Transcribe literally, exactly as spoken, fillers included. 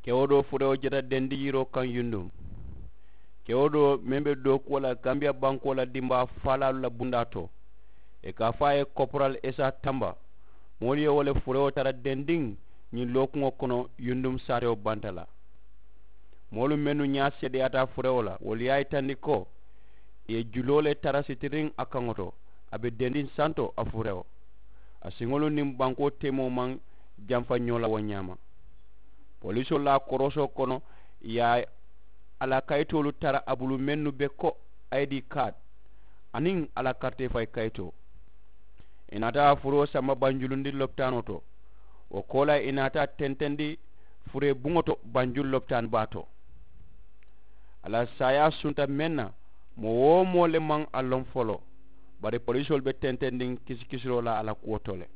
Kewo doo furewo jata dendi yiroo kaŋ yundum. Kewo doo meŋ be dookuwo la gambiya bankoo la dimbaa faalaalu la bundaa to, ì ka a fo a ye koporal esa tamba. Moolu ye wo le furewo tara dendiŋ ñiŋ lookuŋo kono yundum saatewo banta la. Moolu mennu ñaa seedeyaata furewo la wolu ye a yitandi ko ì ye juloo le tara sitiriŋ a kaŋo to. A be dendiŋ santo a furewo. A siŋolu niŋ bankoo teemoo maŋ jamfa ñoo la wo ñaama. Polisoolu la a korosoo kono ì ye a la kayitoolu tara a bulu mennu be ko, i d kaati aniŋ a la karitee fayi kayitoo. Ì naata a furoo samba banjulundi lopitaanoo to. Wo koolaa ì naata a tentendi furee buŋo to banjulu lopitaani baa to. A la saayaa sunta meŋ na moo-wo-moo le maŋ a loŋ foloo. Bari polisoolu be tentendiŋ kisikisiroo la a la kuwo to le.